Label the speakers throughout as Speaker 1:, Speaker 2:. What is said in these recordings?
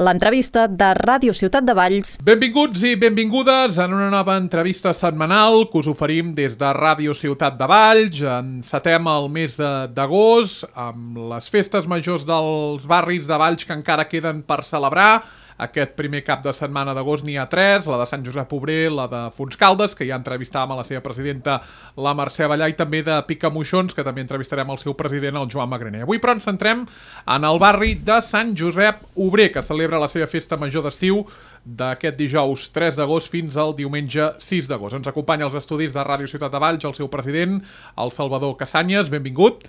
Speaker 1: l'entrevista de Ràdio Ciutat de Valls.
Speaker 2: Benvinguts i benvingudes en una nova entrevista setmanal que us oferim des de Ràdio Ciutat de Valls. Encetem el mes d'agost amb les festes majors dels barris de Valls que encara queden per celebrar. Aquest primer cap de setmana d'agost n'hi ha 3, la de Sant Josep Obrer, la de Fontscaldes, que ja entrevistàvem a la seva presidenta, la Mercè Abellà, i també de Picamoixons, que també entrevistarem el seu president, el Joan Magraner. Avui, però, ens centrem en el barri de Sant Josep Obrer, que celebra la seva festa major d'estiu d'aquest dijous 3 d'agost fins al diumenge 6 d'agost. Ens acompanya als estudis de Ràdio Ciutat de Valls el seu president, el Salvador Casanyes. Benvingut.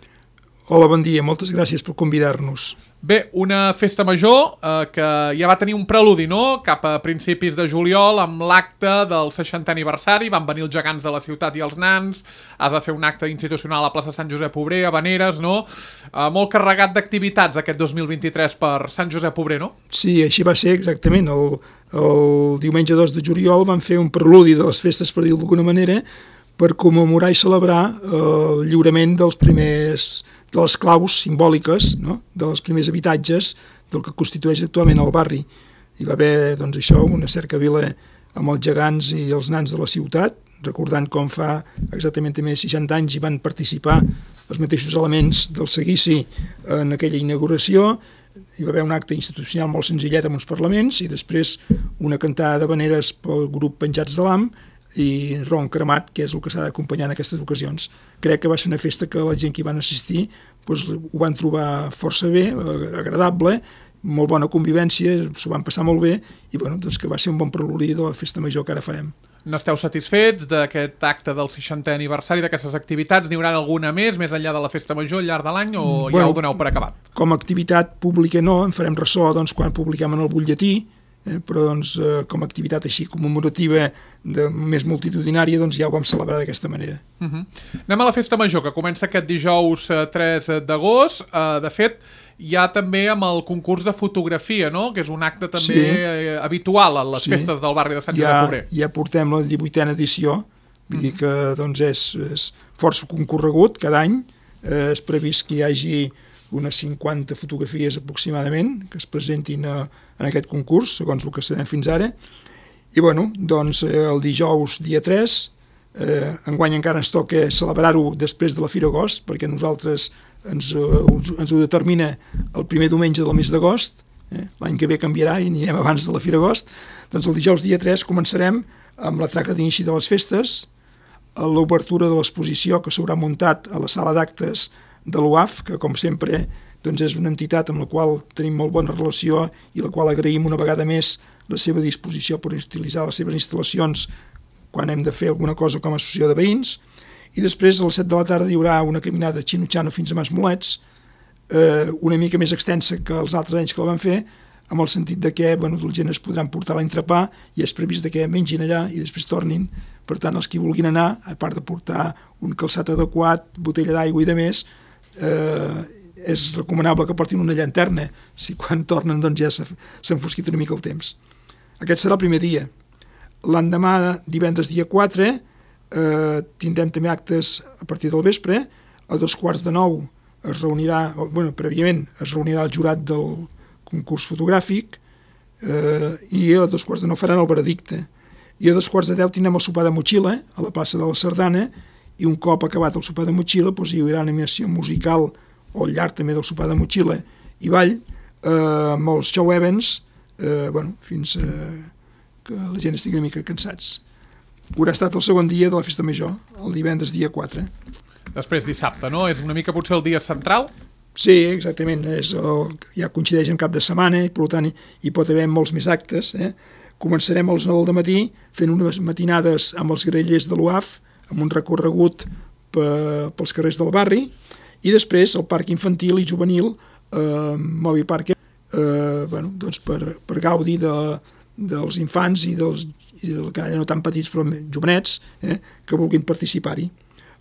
Speaker 3: Hola, bon dia. Moltes gràcies per convidar-nos.
Speaker 2: Bé, una festa major que ja va tenir un preludi, no?, cap a principis de juliol, amb l'acte del 60è aniversari. Van venir els gegants de la ciutat i els nans. Has de fer un acte institucional a la plaça Sant Josep Obrer, a Vaneres, no? Molt carregat d'activitats aquest 2023 per Sant Josep Obrer, no?
Speaker 3: Sí, així va ser exactament. El diumenge 2 de juliol van fer un preludi de les festes, per dir-ho d'alguna manera, per commemorar i celebrar el lliurament de les claus simbòliques, no?, dels primers habitatges del que constitueix actualment el barri. Hi va haver, doncs, això, una cercavila amb els gegants i els nans de la ciutat, recordant com fa exactament també 60 anys hi van participar els mateixos elements del seguici en aquella inauguració. Hi va haver un acte institucional molt senzillet amb uns parlaments i després una cantada de veneres pel grup Penjats de l'Am i ron cremat, que és el que s'ha d'acompanyar en aquestes ocasions. Crec que va ser una festa que la gent que hi van assistir doncs, ho van trobar força bé, agradable, molt bona convivència, s'ho van passar molt bé i bueno, doncs que va ser un bon preludi de la festa major que ara farem.
Speaker 2: N'esteu satisfets d'aquest acte del 60è aniversari, d'aquestes activitats? N'hi haurà alguna més enllà de la festa major al llarg de l'any o ja ho doneu per acabat?
Speaker 3: Com a activitat pública no, en farem ressò doncs, quan publiquem en el butlletí, però doncs, com a activitat així commemorativa més multitudinària doncs ja ho vam celebrar d'aquesta manera.
Speaker 2: Anem a la festa major, que comença aquest dijous 3 d'agost. De fet, hi ha també amb el concurs de fotografia, no?, que és un acte també habitual a les festes del barri de Sant Josep Obrer.
Speaker 3: Ja portem la 18a edició, vull dir que doncs, és força concorregut cada any. És previst que hi hagi unes 50 fotografies aproximadament que es presentin en aquest concurs, segons el que sabem fins ara. I bueno, doncs el dijous dia 3, enguany encara ens toca celebrar-ho després de la Fira Agost, perquè nosaltres ens ho determina el primer diumenge del mes d'agost. L'any que ve canviarà i anirem abans de la Fira Agost. Doncs el dijous dia 3 començarem amb la traca d'inici de les festes, l'obertura de l'exposició que s'haurà muntat a la sala d'actes de l'UAF, que com sempre doncs és una entitat amb la qual tenim molt bona relació i la qual agraïm una vegada més la seva disposició per utilitzar les seves instal·lacions quan hem de fer alguna cosa com a associació de veïns. I després a les 7 de la tarda hi haurà una caminada xinutxano fins a Masmolets, una mica més extensa que els altres anys que la vam fer, amb el sentit de que la gent es podran portar l'entrepà i és previst que mengin allà i després tornin. Per tant, els que vulguin anar, a part de portar un calçat adequat, botella d'aigua i de més, és recomanable que portin una llanterna, si quan tornen doncs ja s'ha enfosquit una mica el temps. Aquest serà el primer dia. L'endemà, divendres dia 4, tindrem també actes a partir del vespre. A 8:45 es reunirà, prèviament es reunirà el jurat del concurs fotogràfic i a 8:45 faran el veredicte. I a 9:45 tindrem el sopar de motxilla a la plaça de la Sardana i un cop acabat el sopar de motxilla doncs hi haurà una animació musical o al llarg també del sopar de motxilla i ball amb els show events fins que la gent estigui una mica cansats. Haurà estat el segon dia de la festa major, el divendres dia 4.
Speaker 2: Després dissabte, no? És una mica potser el dia central?
Speaker 3: Sí, exactament. Ja coincideix en cap de setmana i per tant hi pot haver molts més actes. Començarem a les 9 del matí fent unes matinades amb els grellers de l'UAF, amb un recorregut pels carrers del barri, i després el parc infantil i juvenil Movi Park per gaudir dels infants i dels que no tan petits però jovenets que vulguin participar-hi.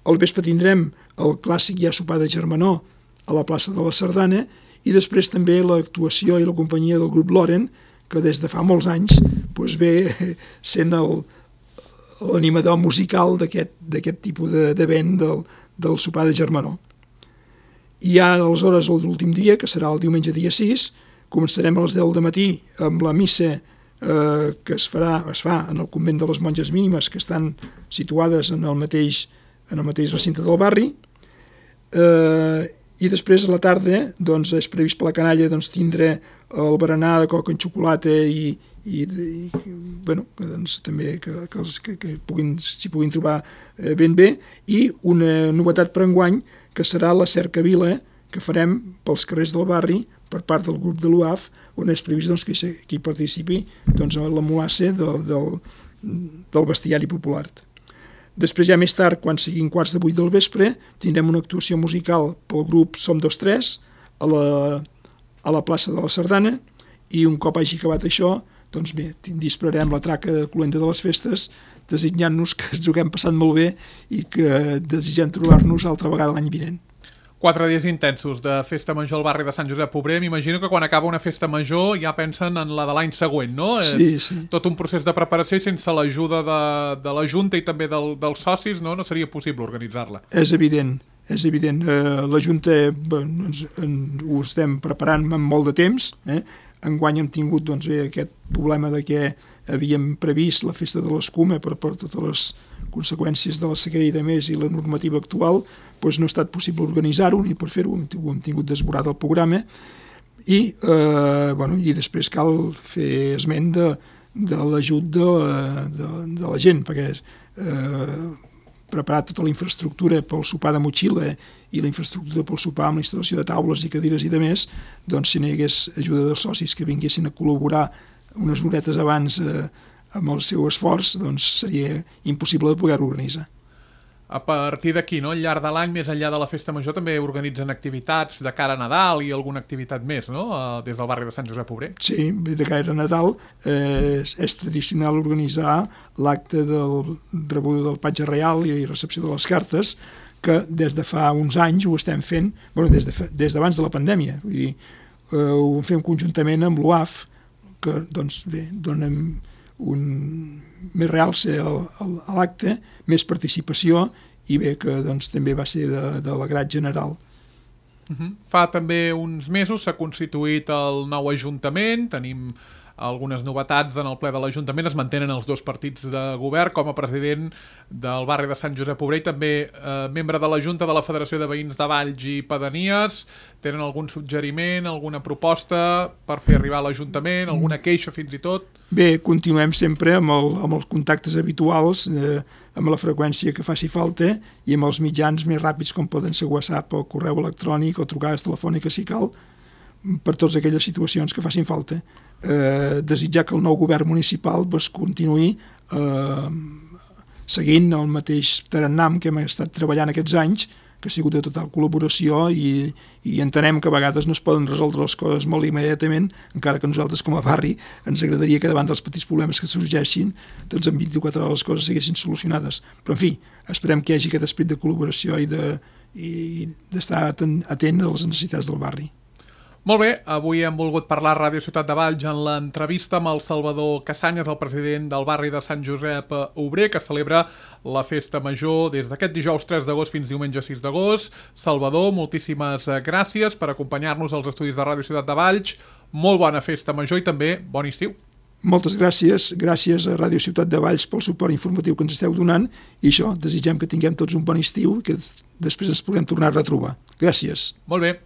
Speaker 3: Al vespre tindrem el clàssic ja sopar de germanor a la plaça de la Sardana i després també l'actuació i la companyia del grup Loren, que des de fa molts anys ve sent l'animador musical d'aquest tipus d'event del sopar de germanor. I ja aleshores l'últim dia, que serà el diumenge dia 6, Començarem a les 10 del matí amb la missa que es fa en el convent de les Monges Mínimes, que estan situades en el mateix recinte del barri, i després a la tarda doncs, és previst per la canalla doncs, tindre el berenar de coca en xocolata i bueno, doncs, també que s'hi puguin trobar ben bé, i una novetat per enguany que serà la cercavila que farem pels carrers del barri per part del grup de l'UAF, on és previst doncs, que hi participi doncs, la molasse del bestiari popular. Després, ja més tard, quan siguin 7:15 del vespre, tindrem una actuació musical pel grup Som 2-3 a la plaça de la Sardana, i un cop hagi acabat això, doncs bé, dispararem la traca de Colenda de les festes, desitjant-nos que ens ho haguem passat molt bé i que desitgem trobar-nos altra vegada l'any vinent.
Speaker 2: 4 dies intensos de festa major al barri de Sant Josep Obrer. M'imagino que quan acaba una festa major ja pensen en la de l'any següent, no?
Speaker 3: Sí.
Speaker 2: És tot un procés de preparació i sense l'ajuda de la Junta i també dels socis no seria possible organitzar-la.
Speaker 3: És evident. La Junta ho estem preparant amb molt de temps. Enguany hem tingut doncs, aquest problema de que havíem previst la festa de l'escuma per totes les conseqüències de la sequera i de més i la normativa actual, doncs no ha estat possible organitzar-ho, i per fer-ho hem tingut desborat el programa, i després cal fer esment de l'ajut de la gent, perquè preparar tota la infraestructura pel sopar de motxilla i la infraestructura pel sopar amb la instal·lació de taules i cadires i de més, doncs si no hi hagués ajuda dels socis que vinguessin a col·laborar unes horetes abans amb el seu esforç, doncs seria impossible de poder-ho organitzar.
Speaker 2: A partir d'aquí, no? Al llarg de l'any, més enllà de la festa major, també organitzen activitats de cara a Nadal i alguna activitat més, no? Des del barri de Sant Josep Obrer.
Speaker 3: Sí, de cara a Nadal és tradicional organitzar l'acte del rebuda del patge reial i recepció de les cartes, que des de fa uns anys ho estem fent, des d'abans de la pandèmia. Vull dir, ho fem conjuntament amb l'UAF, que doncs, bé, donem més realce a l'acte, més participació, i bé que doncs, també va ser de l'agrat general.
Speaker 2: Fa també uns mesos s'ha constituït el nou Ajuntament, tenim algunes novetats en el ple de l'Ajuntament, es mantenen els 2 partits de govern. Com a president del barri de Sant Josep Obrer i també membre de la Junta de la Federació de Veïns de Valls i Pedanies, tenen algun suggeriment, alguna proposta per fer arribar a l'Ajuntament, alguna queixa fins i tot?
Speaker 3: Bé, continuem sempre amb els contactes habituals, amb la freqüència que faci falta i amb els mitjans més ràpids com poden ser WhatsApp o correu electrònic o trucades telefòniques si cal, per totes aquelles situacions que facin falta. Desitjar que el nou govern municipal continuï seguint el mateix tarannam que hem estat treballant aquests anys, que ha sigut de total col·laboració, i entenem que a vegades no es poden resoldre les coses molt immediatament, encara que nosaltres com a barri ens agradaria que davant dels petits problemes que sorgeixin doncs en 24 hores les coses siguessin solucionades. Però en fi, esperem que hi hagi aquest esperit de col·laboració i d'estar atent a les necessitats del barri.
Speaker 2: Molt bé, avui hem volgut parlar a Ràdio Ciutat de Valls en l'entrevista amb el Salvador Cassanyes, el president del barri de Sant Josep Obrer, que celebra la festa major des d'aquest dijous 3 d'agost fins diumenge 6 d'agost. Salvador, moltíssimes gràcies per acompanyar-nos als estudis de Ràdio Ciutat de Valls. Molt bona festa major i també bon estiu.
Speaker 3: Moltes gràcies a Ràdio Ciutat de Valls pel suport informatiu que ens esteu donant, i això, desitgem que tinguem tots un bon estiu i que després ens puguem tornar a retrobar. Gràcies.
Speaker 2: Molt bé.